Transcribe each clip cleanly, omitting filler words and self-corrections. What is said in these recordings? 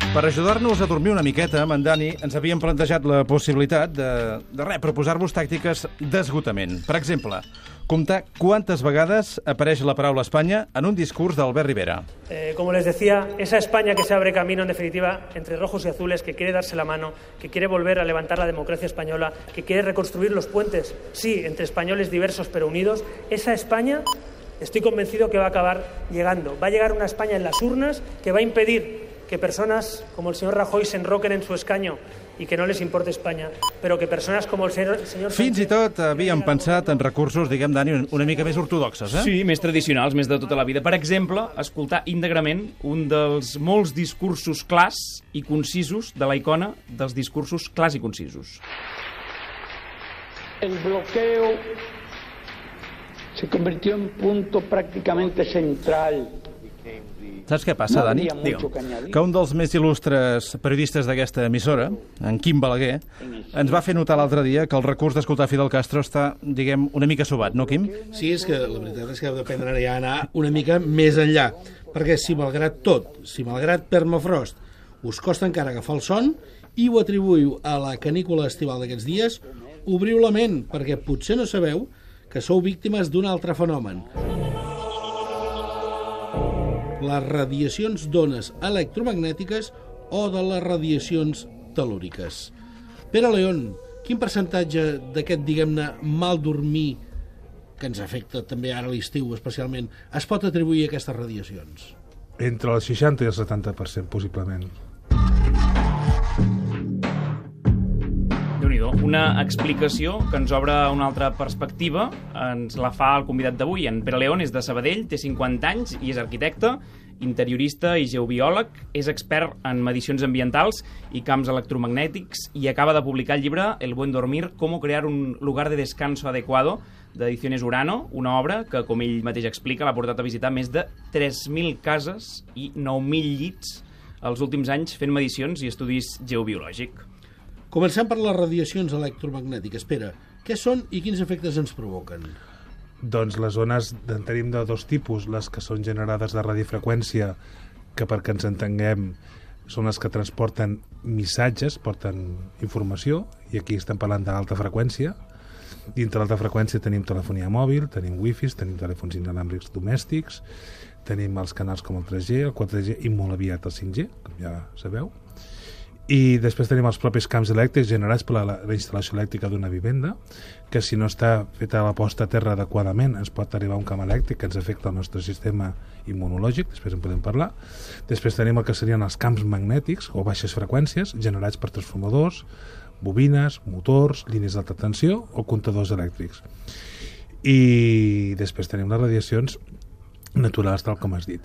Per ajudar-nos a dormir una miqueta, amb en Dani, ens havíem plantejat la possibilitat de proposar-vos tàctiques d'esgotament. Per exemple, comptar quantes vegades apareix la paraula Espanya en un discurs d'Albert Rivera. Como les decía, esa España que se abre camino, en definitiva, entre rojos y azules, que quiere darse la mano, que quiere volver a levantar la democracia española, que quiere reconstruir los puentes, sí, entre españoles diversos pero unidos, esa España, estoy convencido que va a acabar llegando. Va a llegar una España en las urnas que va a impedir que personas como el señor Rajoy se enroquen en su escaño i que no les importe Espanya, però que persones com el senyor Sánchez... Fins i tot havíem pensat en recursos, diguem, Dani, una mica més ortodoxes, eh? Sí, més tradicionals, més de tota la vida. Per exemple, escoltar íntegrament un dels molts discursos clars i concisos de la icona dels discursos clars i concisos. El bloqueo se convirtió en punto prácticamente central. Saps què passa, Dani? Que un dels més il·lustres periodistes d'aquesta emissora, en Quim Balaguer, ens va fer notar l'altre dia que el recurs d'escoltar Fidel Castro està, diguem, una mica sobat, no, Quim? Sí, és que la veritat és que heu d'aprendre ja a anar una mica més enllà, perquè si malgrat tot, si malgrat Permafrost, us costa encara agafar el son i ho atribuïu a la canícula estival d'aquests dies, obriu la ment, perquè potser no sabeu que sou víctimes d'un altre fenomen. Les radiacions d'ones electromagnètiques o de les radiacions telúriques. Pere León, quin percentatge d'aquest, diguem-ne, mal dormir, que ens afecta també ara a l'estiu especialment, es pot atribuir a aquestes radiacions? Entre el 60 i el 70%, possiblement. Déu-n'hi-do, una explicació que ens obre una altra perspectiva, ens la fa el convidat d'avui. En Pere León és de Sabadell, té 50 anys i és arquitecte, interiorista i geobiòleg, és expert en medicions ambientals i camps electromagnètics i acaba de publicar el llibre El buen dormir, cómo crear un lugar de descanso adecuado, d'Ediciones Urano, una obra que, com ell mateix explica, l'ha portat a visitar més de 3.000 cases i 9.000 llits els últims anys fent medicions i estudis geobiològics. Comencem per les radiacions electromagnètiques. Espera, què són i quins efectes ens provoquen? Doncs les ones en tenim de dos tipus, les que són generades de radiofreqüència, que perquè ens entenguem són les que transporten missatges, porten informació, i aquí estem parlant d'alta freqüència. Dintre l'alta freqüència tenim telefonia mòbil, tenim wifi, tenim telèfons inalàmbrics domèstics, tenim els canals com el 3G, el 4G i molt aviat el 5G, com ja sabeu. I després tenim els propis camps elèctrics generats per la instal·lació elèctrica d'una vivenda, que si no està feta la posta a terra adequadament ens pot arribar un camp elèctric que ens afecta el nostre sistema immunològic, després en podem parlar. Després tenim el que serien els camps magnètics o baixes freqüències generats per transformadors, bobines, motors, línies d'alta tensió o comptadors elèctrics. I després tenim les radiacions naturals, tal com has dit.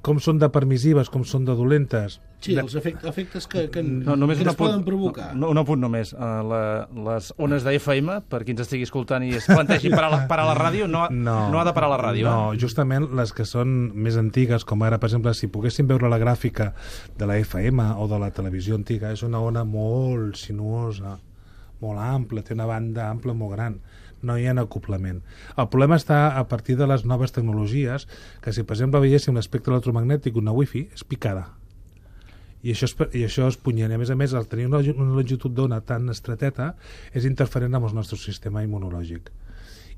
Com són de permissives, com són de dolentes? Sí, els efectes que ens poden provocar. Un apunt només. Les ones d'FM, per qui ens estigui escoltant i es plantegi parar la ràdio, no ha de parar la ràdio. No, justament les que són més antigues, com ara, per exemple, si poguéssim veure la gràfica de la FM o de la televisió antiga, és una ona molt sinuosa, molt ampla, té una banda ampla molt gran. No hi ha acoplament. El problema està a partir de les noves tecnologies, que si per exemple veiéssim l'espectre electromagnètic una wifi, és picada. I això és punyent. A més, el tenir una longitud d'ona tan estreteta és interferent amb el nostre sistema immunològic.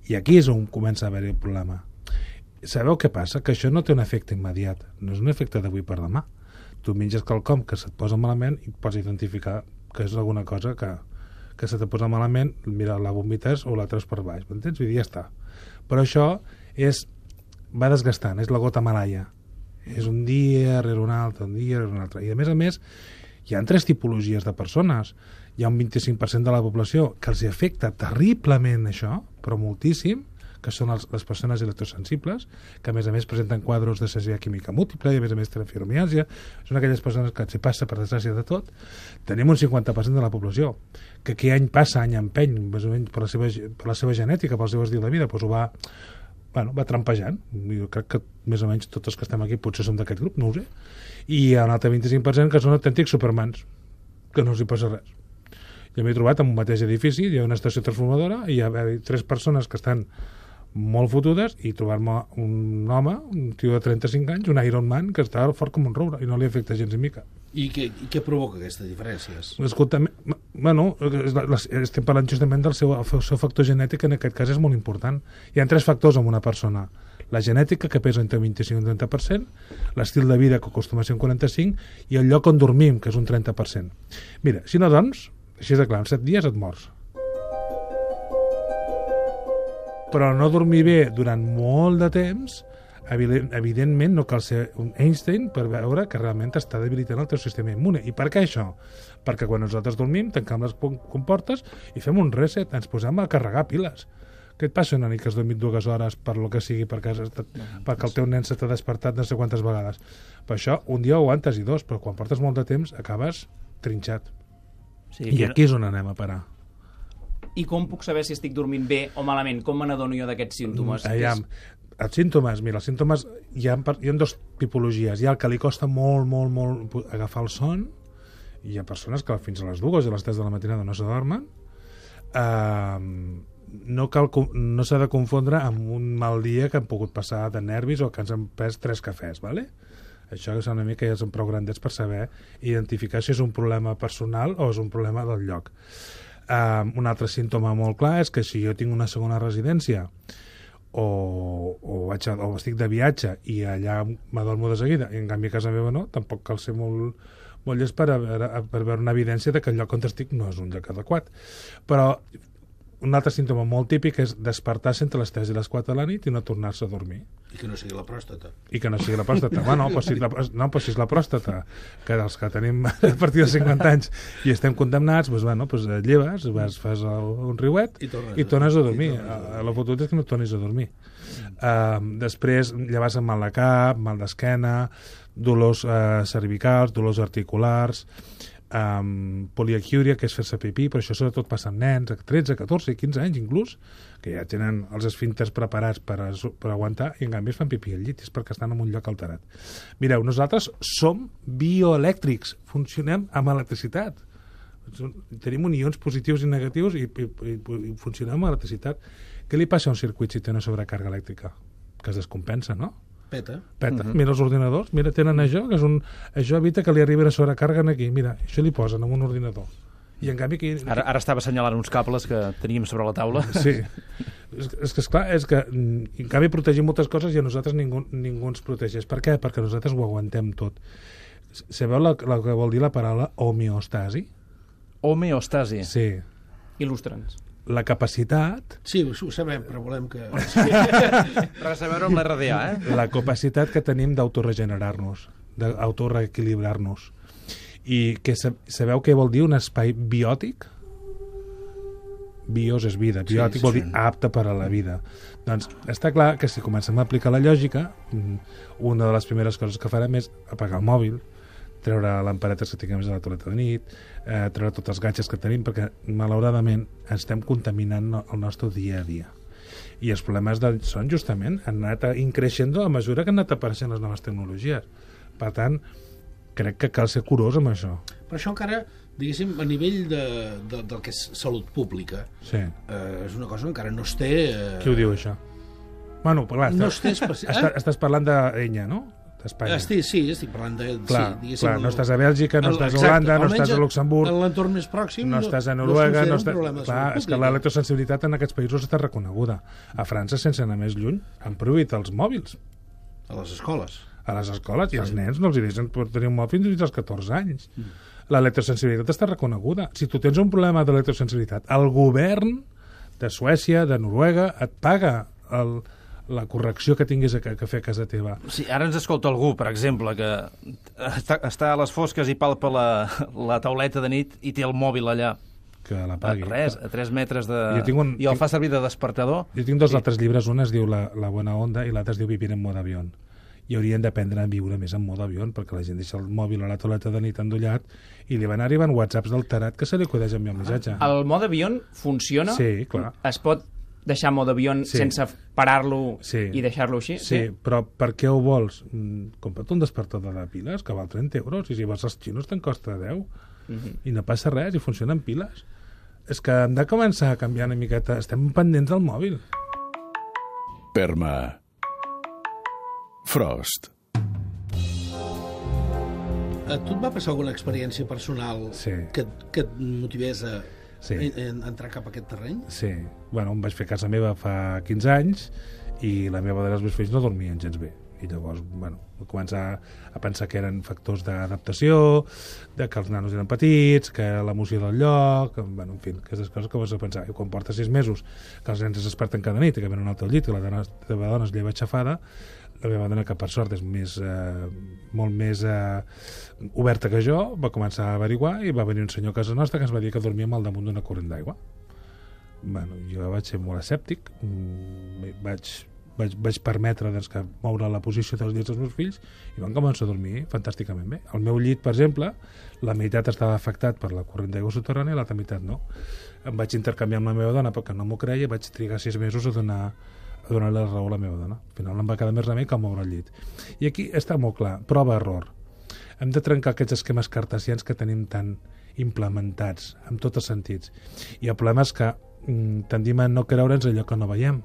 I aquí és on comença a haver-hi el problema. Sabeu què passa? Que això no té un efecte immediat. No és un efecte d'avui per demà. Tu menges quelcom que se't posa malament i pots identificar que és alguna cosa que se te posa malament, mira, la vomites o la treus per baix, m'entens? Vull dir, ja està. Però això va desgastant, és la gota malaia. És un dia rere un altre, un dia rere un altre. I a més, hi ha 3 tipologies de persones. Hi ha un 25% de la població que els afecta terriblement això, però moltíssim, que són les persones electrosensibles, que a més presenten quadros de cessió química múltiple i a més tenen fibromiàlgia. Són aquelles persones que els passa per desgràcia de tot. Tenim un 50% de la població que aquí any passa, any empeny, més o menys per la seva genètica, pel seu estil de vida, doncs ho va trampejant. Jo crec que més o menys tots els que estem aquí potser som d'aquest grup, no ho sé. I hi ha un altre 25% que són autèntics supermans, que no els hi passa res. Jo m'he trobat en un mateix edifici, hi ha una estació transformadora i hi ha 3 persones que estan molt fotudes, i trobar-me un home, un tio de 35 anys, un Iron Man, que està fort com un roure i no li afecta gens ni mica. I què provoca aquestes diferències? L'escoltament, bueno, estem parlant justament del seu factor genètic, en aquest cas és molt important. Hi ha 3 factors en una persona: la genètica, que pesa entre 25 i 30%, l'estil de vida, que acostuma a ser un 45%, i el lloc on dormim, que és un 30%. Mira, si no dorms, així de clar, en 7 dies et mors. Però no dormir bé durant molt de temps, evidentment no cal ser un Einstein per veure que realment està debilitant el teu sistema immune. I per què això? Perquè quan nosaltres dormim, tancam les comportes i fem un reset, ens posem a carregar piles. Què et passa una nit que has dormit 2 hores per lo que sigui, perquè el teu nen se t'ha despertat no sé quantes vegades? Per això, un dia ho aguantes i 2, però quan portes molt de temps acabes trinxat. Sí, i aquí és on anem a parar. I com puc saber si estic dormint bé o malament? Com me n'adono jo d'aquests símptomes? Els símptomes, mira, els símptomes hi ha 2 tipologies. Hi ha el que li costa molt agafar el son, i hi ha persones que fins a les 2 o a les 3 de la matinada no s'adormen. No s'ha de confondre amb un mal dia que han pogut passar de nervis o que ens han pres 3 cafès, ¿vale? Això és una mica, ja són prou grandets per saber identificar si és un problema personal o és un problema del lloc. Un altre símptoma molt clar és que si jo tinc una segona residència o estic de viatge i allà m'adormo de seguida i en canvi a casa meva no, tampoc cal ser molt llest per veure una evidència de que el lloc on estic no és un lloc adequat. Però un altre símptoma molt típic és despertar-se entre les 3 i les 4 de la nit i no tornar-se a dormir. I que no sigui la pròstata. Bueno, però si és la pròstata, que els que tenim a partir de 50 anys i estem condemnats, et lleves, fas un riuet i tornes a dormir. La foto és que no tornis a dormir. Després llevar-se amb mal de cap, mal d'esquena, dolors cervicals, dolors articulars, poliaquiúria, que és fer-se pipí, però això sobretot passa amb nens de 13, 14, 15 anys inclús, que ja tenen els esfínters preparats per aguantar i en canvi es fan pipí al llit, és perquè estan en un lloc alterat. Mireu, nosaltres som bioelèctrics, funcionem amb electricitat, tenim unions positius i negatius i funcionem amb electricitat. Què li passa a un circuit si té una sobrecàrrega elèctrica? Que es descompensa, no? Peta. Mira els ordinadors, tenen això, això evita que li arribi la sobrecàrrega aquí, mira, això li posen en un ordinador. I en canvi aquí... Ara estava assenyalant uns cables que teníem sobre la taula. Sí, és que en canvi protegim moltes coses i a nosaltres ningú ens protegeix. Per què? Perquè nosaltres ho aguantem tot. Sabeu el que vol dir la paraula homeostasi? Homeostasi? Sí. Il·lustra'ns. La capacitat... Sí, ho sabem, però volem que... Res a veure amb l'RDA, La capacitat que tenim d'autoregenerar-nos, d'autoreequilibrar-nos. I que sabeu què vol dir un espai biòtic? Bios és vida, biòtic vol dir apte per a la vida. Doncs està clar que si comencem a aplicar la lògica, una de les primeres coses que farem és apagar el mòbil, treure lamperetes que tinguem a la tauleta de nit, treure tots els gadgets que tenim, perquè malauradament estem contaminant el nostre dia a dia. I els problemes del son justament han anat increixent a mesura que han anat apareixent les noves tecnologies. Per tant, crec que cal ser curós amb això. Però això encara, diguéssim, a nivell del que és salut pública, és una cosa que encara no es té... Qui ho diu, això? Bueno, clar, estàs parlant d'Enya, no? Sí, estic parlant de... Clar, no estàs a Bèlgica, no estàs a Holanda, no estàs a Luxemburg... En l'entorn més pròxim no estàs a Noruega... Clar, és que l'electrosensibilitat en aquests països està reconeguda. A França, sense anar més lluny, han prohibit els mòbils. A les escoles. A les escoles, i als nens no els deixen tenir un mòbil fins als 14 anys. L'electrosensibilitat està reconeguda. Si tu tens un problema d'electrosensibilitat, el govern de Suècia, de Noruega, et paga la correcció que tinguis que fer a casa teva. Sí, ara ens escolta algú, per exemple, que està a les fosques i palpa la tauleta de nit i té el mòbil allà. Que la pagui. Res, a 3 metres de... I el fa servir de despertador. Jo tinc 2 altres llibres, un es diu La buena onda i l'altre es diu Vivir en modo avión. I haurien d'aprendre a viure més en modo avión, perquè la gent deixa el mòbil a la tauleta de nit endollat i li van arribant whatsapps del tarat que se li acudeix enviar un missatge. El mode avión funciona? Sí, clar. Es pot deixar mode avión sense parar-lo i deixar-lo així? Sí, però per què ho vols? Compra't un despertador de piles que val 30 euros i si vas als xinos te'n costa 10 i no passa res i funciona amb piles. És que hem de començar a canviar una miqueta. Estem pendents del mòbil. Perma Frost. A tu et va passar alguna experiència personal que et motivés a entrar cap a aquest terreny? Sí. Bueno, em vaig fer a casa meva fa 15 anys i la meva dona i els meus fills no dormien gens bé. I llavors, bueno, vaig començar a pensar que eren factors d'adaptació, que els nanos eren petits, que l'emoció del lloc, bueno, en fi, aquestes coses que vas a pensar. I quan portes 6 mesos que els nens es desperten cada nit i que venen al teu llit i la teva dona es lleva aixafada, la meva dona, que per sort és molt més oberta que jo, va començar a averiguar i va venir un senyor a casa nostra que ens va dir que dormíem al damunt d'una corrent d'aigua. Bueno, jo vaig ser molt escèptic, vaig permetre que moure la posició dels llits dels meus fills i van començar a dormir fantàsticament bé. El meu llit, per exemple, la meitat estava afectat per la corrent d'aigua subterrània i l'altra meitat no. Em vaig intercanviar amb la meva dona perquè no m'ho creia i vaig trigar 6 mesos a donar-li la raó a la meva dona. Al final em va quedar més remei que moure el llit. I aquí està molt clar, prova-error. Hem de trencar aquests esquemes cartesians que tenim tan implementats en tots els sentits. I el problema és que tendim a no creure'ns allò que no veiem.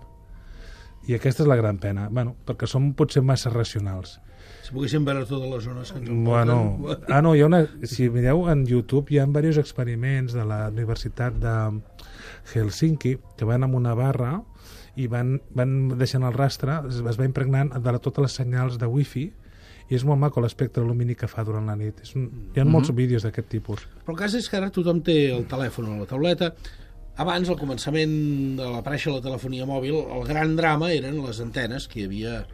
I aquesta és la gran pena, perquè som potser massa racionals. Si poguéssim veure totes les zones que ens envolten... Si mireu en YouTube hi ha diversos experiments de la Universitat de Helsinki que van amb una barra i van deixant el rastre, es va impregnant de totes les senyals de wifi i és molt maco l'espectre lumínic que fa durant la nit. Hi ha molts vídeos d'aquest tipus. Però el cas és que ara tothom té el telèfon o la tauleta. Abans, al començament de l'aparèixer la telefonia mòbil, el gran drama eren les antenes que hi havia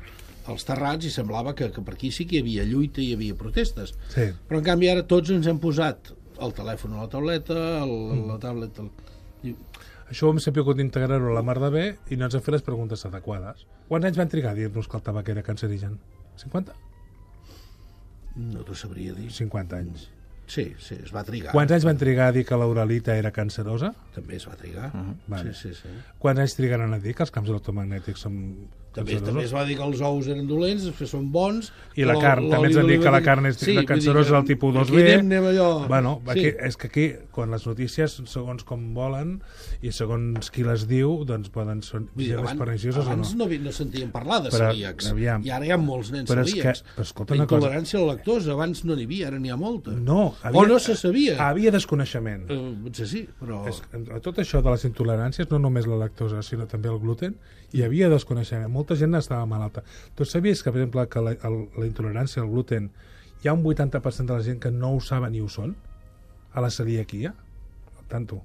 als terrats i semblava que per aquí sí que hi havia lluita i hi havia protestes. Sí. Però, en canvi, ara tots ens hem posat el telèfon a la tauleta, la tablet... Això ho hem sabut integrar-ho a la mar de bé i no ens han fet les preguntes adequades. Quants anys van trigar a dir-nos que el tabac era cancerigen? 50? No t'ho sabria dir. 50 anys. Sí, es va trigar. Quants anys van trigar a dir que l'uralita era cancerosa? També es va trigar. Vale. Sí. Quants anys trigaran a dir que els camps electromagnètics són també es va dir que els ous eren dolents, després són bons... I la carn, també ens han dit que la carn és cancerosa del tipus 2B. Anem allò... Bueno, és que aquí, quan les notícies, segons com volen i segons qui les diu, doncs poden ser més pernicioses o no. Abans no sentíem parlar de celíacs. I ara hi ha molts nens celíacs. La intolerància a la lactosa, abans no n'hi havia, ara n'hi ha molta. O no se sabia. Havia desconeixement. Potser sí, però... Tot això de les intoleràncies, no només la lactosa, sinó també el gluten, hi havia desconeixement. Molta gent estava malalta. Tu sabies que, per exemple, que la intolerància al gluten, hi ha un 80% de la gent que no ho saben ni ho són? A la celiaquia? Tanto.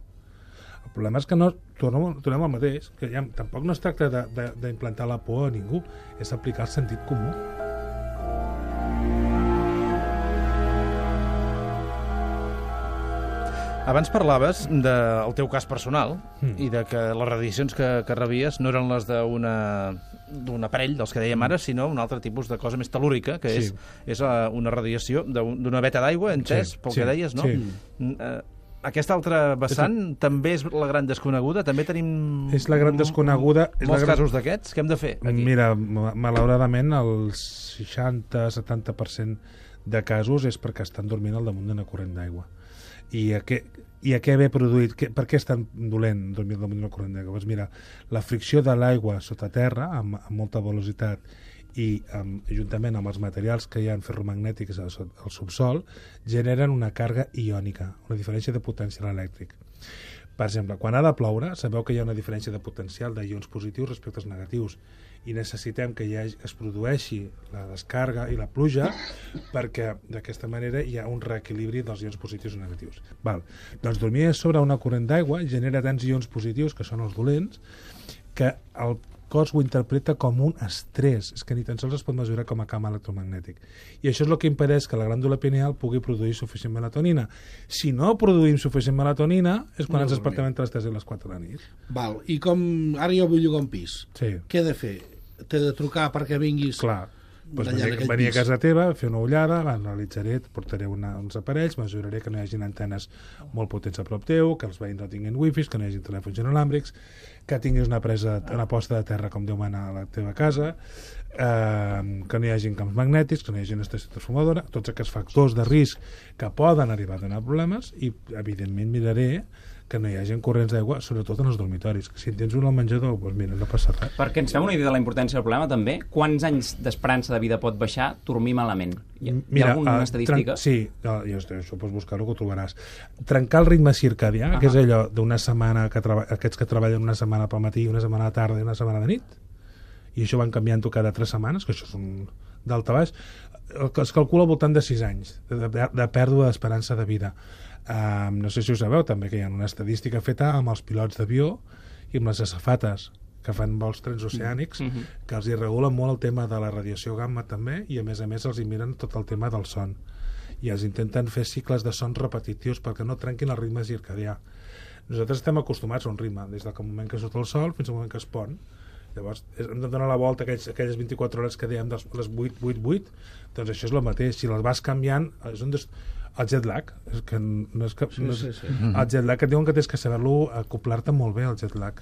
El problema és que no tornem al mateix, que tampoc no es tracta d'implantar la por a ningú, és aplicar el sentit comú. Abans parlaves del teu cas personal i de que les radiacions que rebies no eren les d'un aparell, dels que dèiem ara, sinó un altre tipus de cosa més telúrica, que és una radiació d'una veta d'aigua, entès, pel que deies, no? Aquesta altra vessant també és la gran desconeguda? També tenim... És la gran desconeguda... Molts casos d'aquests? Què hem de fer aquí? Mira, malauradament, el 60-70% de casos és perquè estan dormint al damunt d'una corrent d'aigua. I a què ve produït? Per què és tan dolent dormir damunt d'una corrent d'aigua? Doncs mira, la fricció de l'aigua sota terra, amb molta velocitat, i juntament amb els materials que hi ha ferromagnètics al subsol, generen una càrrega iònica, una diferència de potencial elèctric. Per exemple, quan ha de ploure, sabeu que hi ha una diferència de potencial d'ions positius respecte als negatius i necessitem que es produeixi la descàrrega i la pluja perquè d'aquesta manera hi ha un reequilibri dels ions positius i negatius. Doncs dormir sobre una corrent d'aigua genera tants ions positius, que són els dolents, que el cos ho interpreta com un estrès, és que ni tan sols es pot mesurar com a camp electromagnètic. I això és el que impedeix que la glàndula pineal pugui produir suficient melatonina. Si no produïm suficient melatonina és quan ens despertem entre les 3 i les 4 de la nit. I com ara jo vull llogar un pis, què he de fer? T'he de trucar perquè vinguis... Clar. Venir a casa teva, fer una ullada, l'analitzaré, portaré uns aparells, mesuraré que no hi hagi antenes molt potents a prop teu, que els veïns no tinguin wifis, que no hi hagi telèfons inalàmbrics, que tinguis una posta de terra com Déu mana a la teva casa, que no hi hagi camps magnètics, que no hi hagi una estació transformadora, tots aquests factors de risc que poden arribar a donar problemes, i evidentment miraré que no hi hagi corrents d'aigua, sobretot en els dormitoris. Si en tens un al menjador, doncs mira, no passa res. Perquè ens fem una idea de la importància del problema, també. Quants anys d'esperança de vida pot baixar dormir malament? Hi ha alguna estadística? Sí, això pots buscar-ho, que ho trobaràs. Trencar el ritme circadià, que és allò d'una setmana, aquests que treballen una setmana pel matí, una setmana a tarda i una setmana de nit, i això van canviant-ho cada 3 setmanes, que això és un d'alta baix, es calcula al voltant de 6 anys de pèrdua d'esperança de vida. No sé si ho sabeu també, que hi ha una estadística feta amb els pilots d'avió i amb les azafates que fan vols transoceànics, que els hi regulen molt el tema de la radiació gamma també, i a més els hi miren tot el tema del son, i els intenten fer cicles de son repetitius perquè no trenquin el ritme circadià. Nosaltres estem acostumats a un ritme des del moment que surt el sol fins al moment que es pon. Llavors hem de donar la volta a aquelles 24 hores que dèiem de les 8, doncs això és el mateix. Si les vas canviant, és el jet lag, que no és que, el jet lag, que diuen que tens que saber-lo acoplar-te molt bé al jet lag.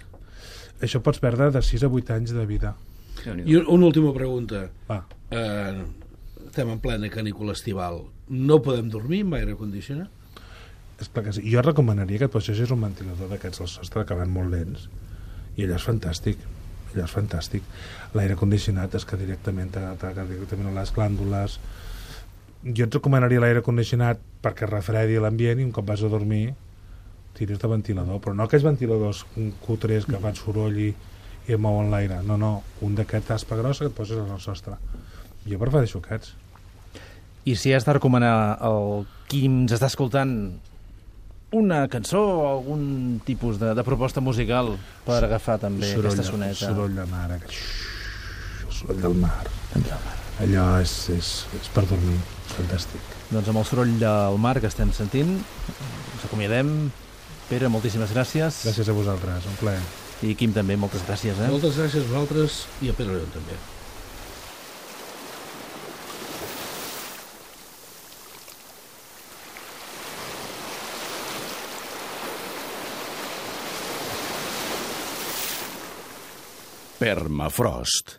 Això pots perdre de 6 a 8 anys de vida. I una última pregunta. Estem en plena canícula estival. No podem dormir amb aire condicionat? És clar que sí. Jo recomanaria que et posessis un ventilador d'aquests al sostre que van molt lents, i allò és fantàstic. L'aire condicionat és que directament t'ataca directament a les glàndules. Jo et recomanaria l'aire condicionat perquè refredi l'ambient, i un cop vas a dormir tiris de ventilador, però no aquells ventiladors cutres que fan soroll i mouen l'aire, no, un d'aquest aspa grossa que et poses al sostre. Jo prefereixo aquests. I si has de recomanar al qui ens està escoltant una cançó o algun tipus de proposta musical per agafar també aquesta soneta? Soroll de mar, el soroll del mar. Allò és per dormir, fantàstic. Doncs amb el soroll del mar que estem sentint ens acomiadem. Pere, moltíssimes gràcies. Gràcies a vosaltres, un plaer. I Quim també, moltes gràcies. Moltes gràcies a vosaltres i a Pere León també. Permafrost.